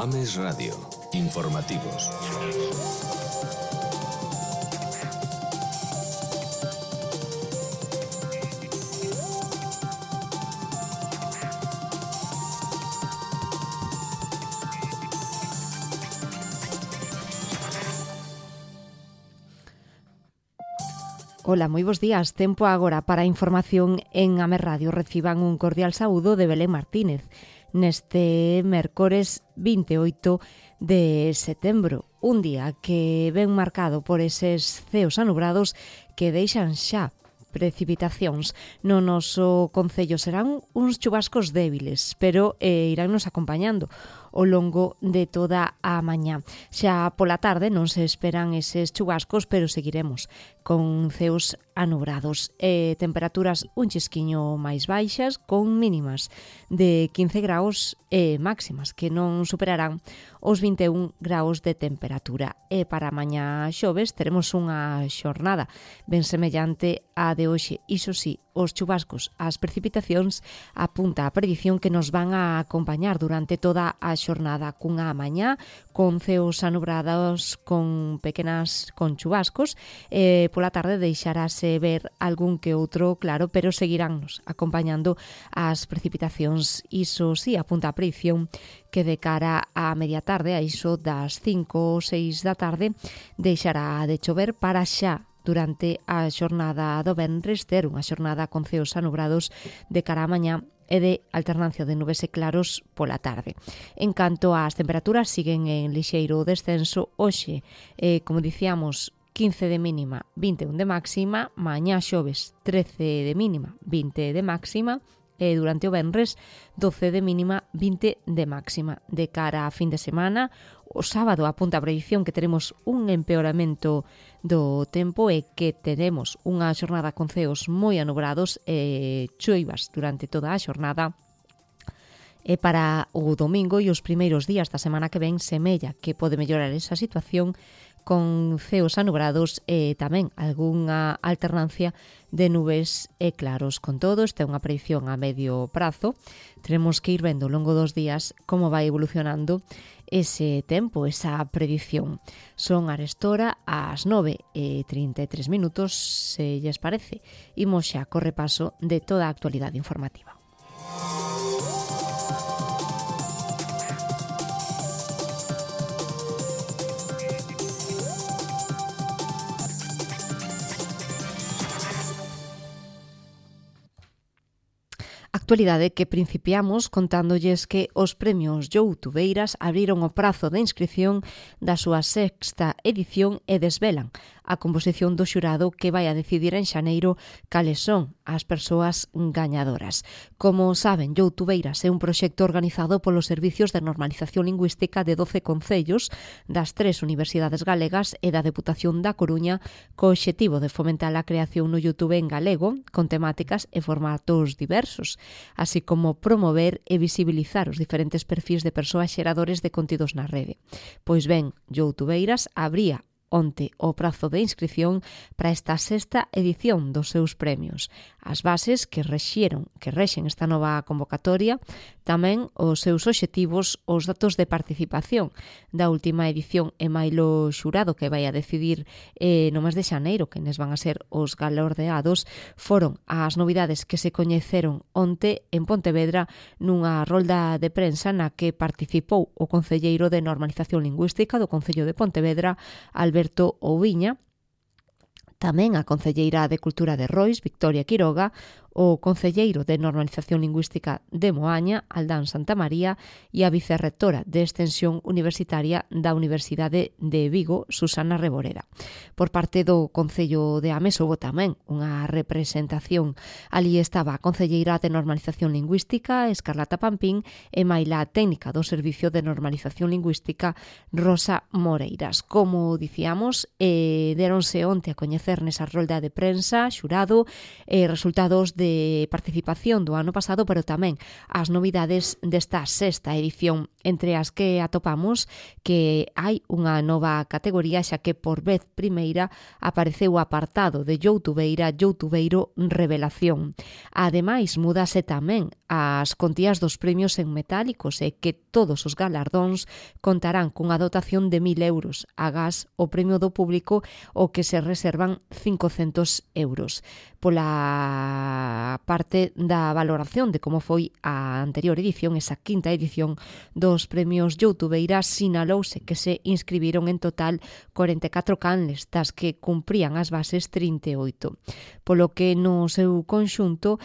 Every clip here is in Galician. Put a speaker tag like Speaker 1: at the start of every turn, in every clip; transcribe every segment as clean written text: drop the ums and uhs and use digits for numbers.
Speaker 1: Ames Radio. Informativos.
Speaker 2: Ola, moi bons días. Tempo agora para a información en Ames Radio. Reciban un cordial saúdo de Belén Martínez neste mércores 28 de setembro. Un día que ven marcado por eses ceos anubrados que deixan xa precipitacións. No noso concello serán uns chubascos débiles, pero iránnos acompañando ao longo de toda a mañá. Xa pola tarde non se esperan eses chubascos, pero seguiremos con ceos anubrados. Temperaturas un chisquiño máis baixas, con mínimas de 15 graus e máximas que non superarán os 21 graus de temperatura. E para mañá xoves teremos unha xornada ben semellante á de hoxe. Iso sí, os chubascos, as precipitacións apunta a predición que nos van a acompañar durante toda a xornada cunha mañá con ceos anubrados con chubascos. Pola tarde deixarase ver algún que outro claro, pero seguiránnos acompañando as precipitacións. Iso sí, apunta a predición que de cara á media tarde, a iso das 5 ou 6 da tarde, deixará de chover para xa durante a xornada do venres ter unha xornada con ceos anubrados de cara á mañá e de alternancia de nubes e claros pola tarde. En canto ás temperaturas, siguen en lixeiro descenso. Hoxe, como dicíamos, 15 de mínima, 21 de máxima, mañá xoves 13 de mínima, 20 de máxima, e durante o venres 12 de mínima, 20 de máxima. De cara a fin de semana, o sábado apunta a predición que teremos un empeoramento do tempo e que teremos unha xornada con ceos moi anubrados e choivas durante toda a xornada. E para o domingo e os primeiros días da semana que ven semella que pode mellorar esa situación con ceos anubrados e tamén algunha alternancia de nubes e claros. Con todo, esta é unha predicción a medio prazo. Teremos que ir vendo ao longo dos días como vai evolucionando ese tempo, esa predicción. Son arestora ás 9:33 minutos, se lles parece. Imos xa co repaso de toda a actualidade informativa. Actualidade que principiamos contándolles que os premios Youtubeiras abriron o prazo de inscripción da súa sexta edición e desvelan a composición do xurado que vai a decidir en xaneiro cales son as persoas gañadoras. Como saben, Youtubeiras é un proxecto organizado polos Servicios de Normalización Lingüística de 12 concellos das 3 universidades galegas e da Deputación da Coruña, co obxectivo de fomentar a creación no YouTube en galego con temáticas e formatos diversos, así como promover e visibilizar os diferentes perfis de persoas xeradores de contidos na rede. Pois ben, Youtubeiras abría onte o prazo de inscripción para esta sexta edición dos seus premios. As bases que rexen esta nova convocatoria, tamén os seus obxectivos, os datos de participación da última edición e mailo xurado que vai a decidir no mes de xaneiro, que nes van a ser os galardeados, foron as novidades que se coñeceron onte en Pontevedra nunha rolda de prensa na que participou o concelleiro de Normalización Lingüística do Concello de Pontevedra, Alberto Ouviña, tamén a concelleira de Cultura de Rois, Victoria Quiroga, o concelleiro de Normalización Lingüística de Moaña, Aldán Santamaría, e a vicerrectora de Extensión Universitaria da Universidade de Vigo, Susana Reboreda. Por parte do Concello de Ames houbo tamén unha representación. Ali estaba a concelleira de Normalización Lingüística, Escarlata Pampín, e maila técnica do Servicio de Normalización Lingüística, Rosa Moreiras. Como dicíamos, deronse onte a coñecer nesa rolda de prensa, xurado, resultados de participación do ano pasado, pero tamén as novidades desta sexta edición entre as que atopamos que hai unha nova categoría, xa que por vez primeira apareceu o apartado de youtubeiro revelación. Ademais, mudase tamén as contías dos premios en metálicos e que todos os galardóns contarán cunha dotación de 1.000 euros, agás o premio do público o que se reservan 500 euros. Pola parte da valoración de como foi a anterior edición, esa quinta edición dos premios Youtubeira, sinalouse que se inscribiron en total 44 canles, das que cumprían as bases 38, polo que no seu conxunto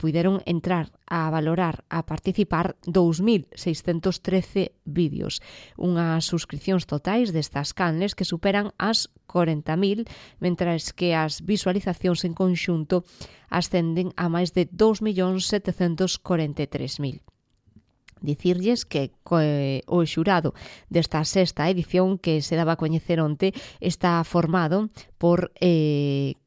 Speaker 2: puideron entrar a valorar, a participar 2.613 vídeos, unhas suscripcións totais destas canles que superan as 40.000, mentras que as visualizacións en conxunto ascenden a máis de 2.743.000. Dicirlles que o xurado desta sexta edición, que se daba a coñecer onte, está formado por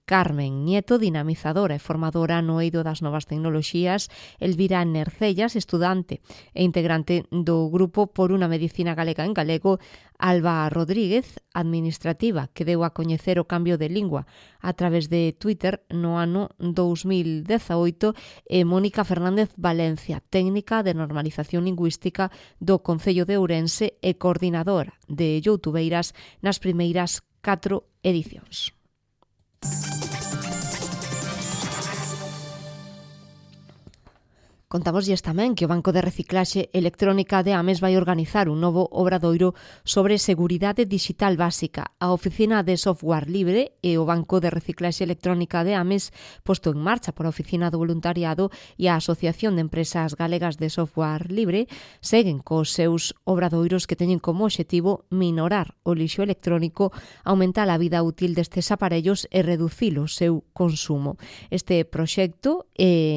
Speaker 2: Carmen Nieto, dinamizadora e formadora no eido das novas tecnoloxías, Elvira Nercellas, estudante e integrante do grupo Por unha Medicina Galega en Galego, Alba Rodríguez, administrativa, que deu a coñecer o cambio de lingua a través de Twitter no ano 2018, e Mónica Fernández Valencia, técnica de normalización lingüística do Concello de Ourense e coordinadora de Youtubeiras nas primeiras 4 edicións. Contámoslles tamén que o Banco de Reciclaxe Electrónica de Ames vai organizar un novo obradoiro sobre seguridade digital básica. A Oficina de Software Libre e o Banco de Reciclaxe Electrónica de Ames, posto en marcha por a Oficina do Voluntariado e a Asociación de Empresas Galegas de Software Libre, seguen cos seus obradoiros que teñen como obxectivo minorar o lixo electrónico, aumentar a vida útil destes aparellos e reducir o seu consumo. Este proxecto,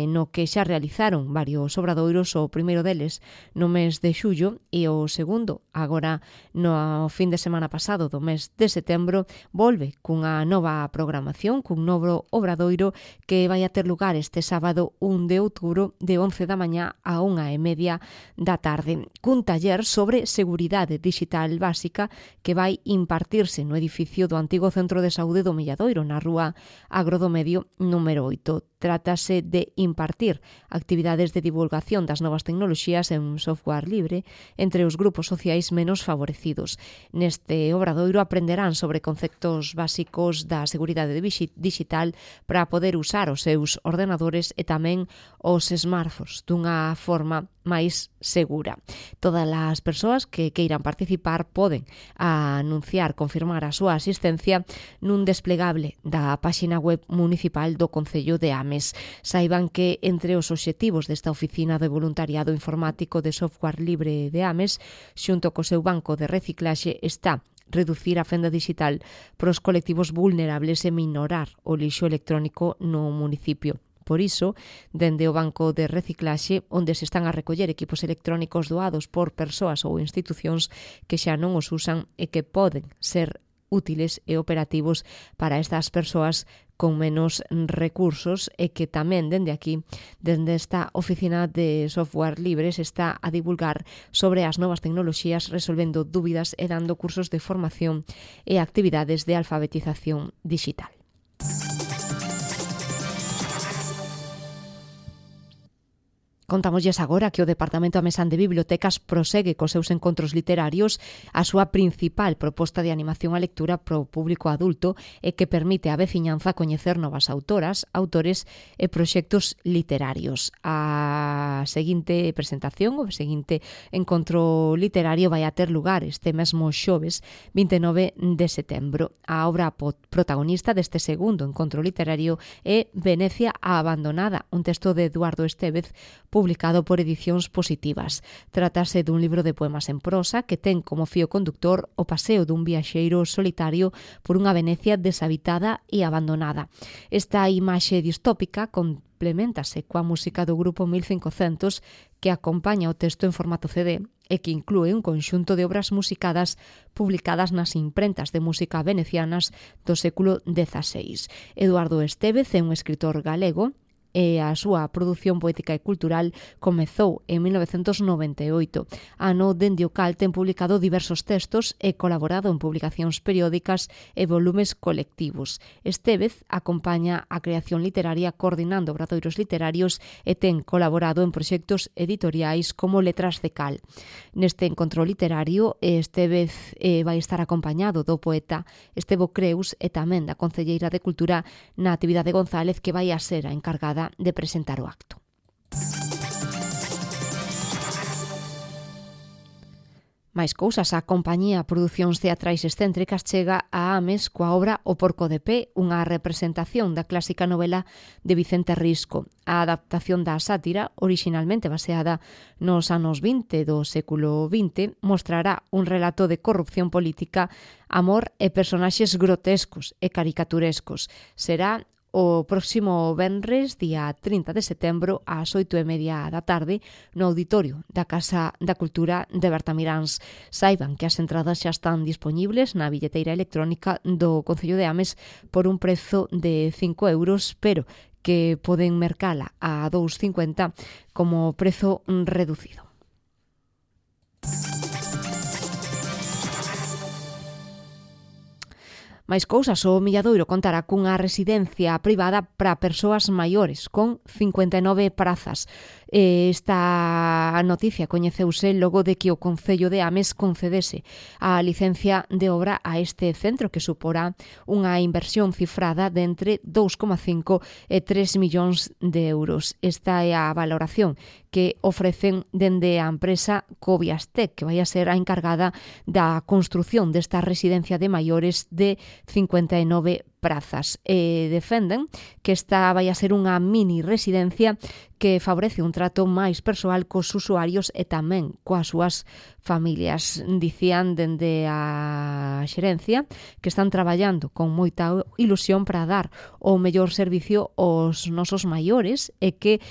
Speaker 2: no que xa realizaron varios obradoiros, o primeiro deles no mes de xullo e o segundo agora no fin de semana pasado do mes de setembro, volve cunha nova programación, cun novo obradoiro que vai a ter lugar este sábado 1 de outubro de 11 da mañá a 1:30 da tarde, cun taller sobre seguridade digital básica que vai impartirse no edificio do antigo Centro de Saúde do Milladoiro, na rúa Agro do Medio número 8. Trátase de impartir actividades de divulgación das novas tecnoloxías en software libre entre os grupos sociais menos favorecidos. Neste obradoiro aprenderán sobre conceptos básicos da seguridade digital para poder usar os seus ordenadores e tamén os smartphones dunha forma máis segura. Todas as persoas que queiran participar poden confirmar a súa asistencia nun desplegable da páxina web municipal do Concello de Ames. Saiban que entre os obxectivos desta oficina de voluntariado informático de software libre de Ames, xunto co seu banco de reciclaxe, está reducir a fenda digital para os colectivos vulnerables e minorar o lixo electrónico no municipio. Por iso, dende o Banco de Reciclaxe, onde se están a recoller equipos electrónicos doados por persoas ou institucións que xa non os usan e que poden ser útiles e operativos para estas persoas con menos recursos, e que tamén dende aquí, dende esta oficina de software libre, se está a divulgar sobre as novas tecnoloxías, resolvendo dúbidas e dando cursos de formación e actividades de alfabetización digital. Contámoslles agora que o Departamento Amesán de Bibliotecas prosegue cos seus encontros literarios, a súa principal proposta de animación á lectura para o público adulto e que permite á veciñanza coñecer novas autoras, autores e proxectos literarios. A seguinte presentación, o seguinte encontro literario vai a ter lugar este mesmo xoves 29 de setembro. A obra protagonista deste segundo encontro literario é Venecia a abandonada, un texto de Eduardo Estévez, publicado por Edicións Positivas. Trátase dun libro de poemas en prosa que ten como fío conductor o paseo dun viaxeiro solitario por unha Venecia deshabitada e abandonada. Esta imaxe distópica complementase coa música do grupo 1500 que acompaña o texto en formato CD e que inclúe un conxunto de obras musicadas publicadas nas imprentas de música venecianas do século XVI. Eduardo Estévez é un escritor galego e a súa produción poética e cultural comezou en 1998, ano dende o cal ten publicado diversos textos e colaborado en publicacións periódicas e volumes colectivos. Estevez acompaña a creación literaria coordinando obradoiros literarios e ten colaborado en proxectos editoriais como Letras de Cal. Neste encontro literario, Estevez vai estar acompañado do poeta Estevo Creus e tamén da concelleira de Cultura Natividade González, que vai a ser a encargada de presentar o acto. Máis cousas, a compañía Producións Teatrais Excéntricas chega a Ames coa obra O Porco de Pé, unha representación da clásica novela de Vicente Risco. A adaptación da sátira, orixinalmente baseada nos anos 20 do século XX, mostrará un relato de corrupción política, amor e personaxes grotescos e caricaturescos. Será o próximo venres, día 30 de setembro, ás 8:30 da tarde, no auditorio da Casa da Cultura de Bertamiráns. Saiban que as entradas xa están dispoñibles na billeteira electrónica do Concello de Ames por un prezo de 5 euros, pero que poden mercala a 2,50 como prezo reducido. Máis cousas, o Milladoiro contará cunha residencia privada para persoas maiores, con 59 prazas. Esta noticia coñeceuse logo de que o Concello de Ames concedese a licencia de obra a este centro, que suporá unha inversión cifrada de entre 2,5 e 3 millóns de euros. Esta é a valoración que ofrecen dende a empresa Coviastec, que vai a ser a encargada da construción desta residencia de maiores de 59 prazas. Defenden que esta vai a ser unha mini residencia que favorece un trato máis persoal cos usuarios e tamén coas súas familias. Dicían dende a xerencia que están traballando con moita ilusión para dar o mellor servicio aos nosos maiores e que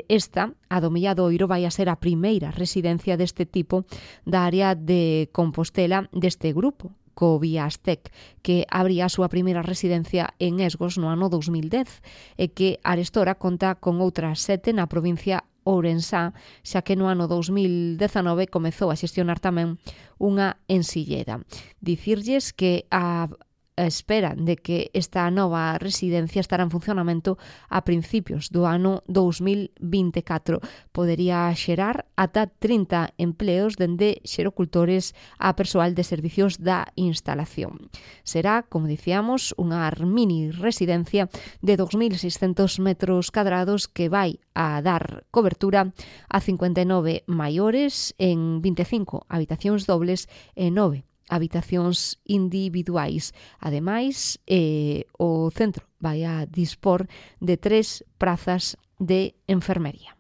Speaker 2: esta, a do Milladoiro, vai a ser a primeira residencia deste tipo da área de Compostela deste grupo, Coviastec, que abría a súa primeira residencia en Esgos no ano 2010 e que arestora conta con outras 7 na provincia ourensá, xa que no ano 2019 comezou a xestionar tamén unha en Silleda. Dicirlles que a espera de que esta nova residencia estará en funcionamento a principios do ano 2024. Podería xerar ata 30 empleos dende xerocultores a persoal de servicios da instalación. Será, como dicíamos, unha mini residencia de 2.600 metros cadrados que vai a dar cobertura a 59 maiores en 25 habitacións dobles e 9 habitacións individuais. Ademais, o centro vai a dispor de 3 prazas de enfermería.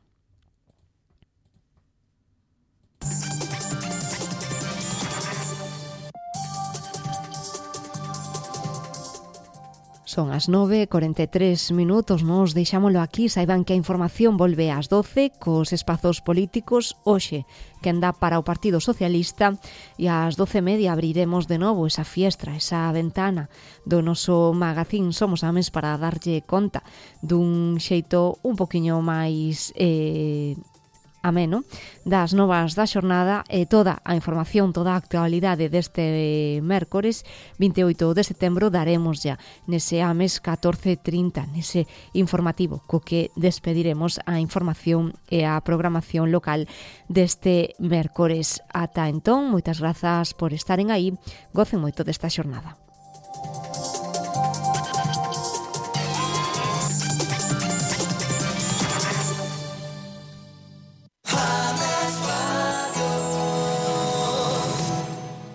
Speaker 2: Son as 9:43 minutos, nos deixámolo aquí. Saiban que a información volve ás 12 cos espazos políticos. Hoxe, que anda para o Partido Socialista, e ás 12:30 abriremos de novo esa fiestra, esa ventana do noso magazín Somos Ames para darlle conta dun xeito un poquinho máis ameno das novas da xornada e toda a información, toda a actualidade deste mércores 28 de setembro daremos ya nese Ames 14:30, nese informativo co que despediremos a información e a programación local deste mércores. Ata entón, moitas grazas por estaren aí, gocen moito desta xornada.